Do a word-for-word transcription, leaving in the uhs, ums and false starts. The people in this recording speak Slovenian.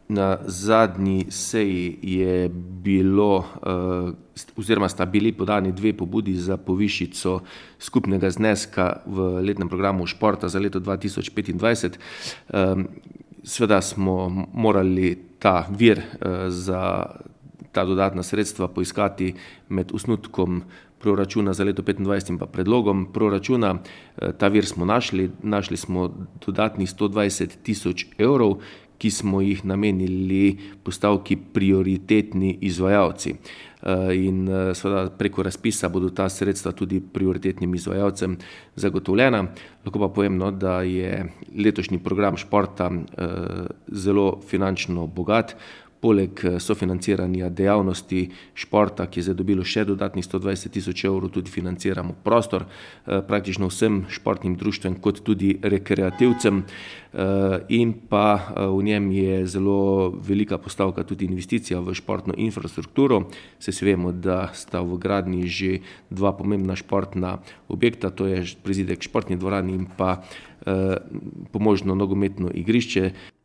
Na zadnji seji je bilo, oziroma sta bili podani dve pobudi za povišico skupnega zneska v letnem programu športa za leto dva tisoč petindvajset. Seveda smo morali ta vir, za ta dodatna sredstva poiskati med osnutkom proračuna za leto petindvajset in pa predlogom proračuna. Ta vir smo našli, našli smo dodatnih sto dvajset tisoč evrov, ki smo jih namenili postavki prioritetni izvajalci. In seveda preko razpisa bodo ta sredstva tudi prioritetnim izvajalcem zagotovljena. Lahko pa povem, no, da je letošnji program športa zelo finančno bogat. Poleg sofinanciranja dejavnosti športa, ki je zdaj dobilo še dodatnih sto dvajset tisoč evrov, tudi financiramo prostor praktično vsem športnim društvom kot tudi rekreativcem. In pa v njem je zelo velika postavka tudi investicija v športno infrastrukturo. Saj vsi vemo, da sta v gradnji že dva pomembna športna objekta, to je prizidek športni dvorani in pa pomožno nogometno igrišče.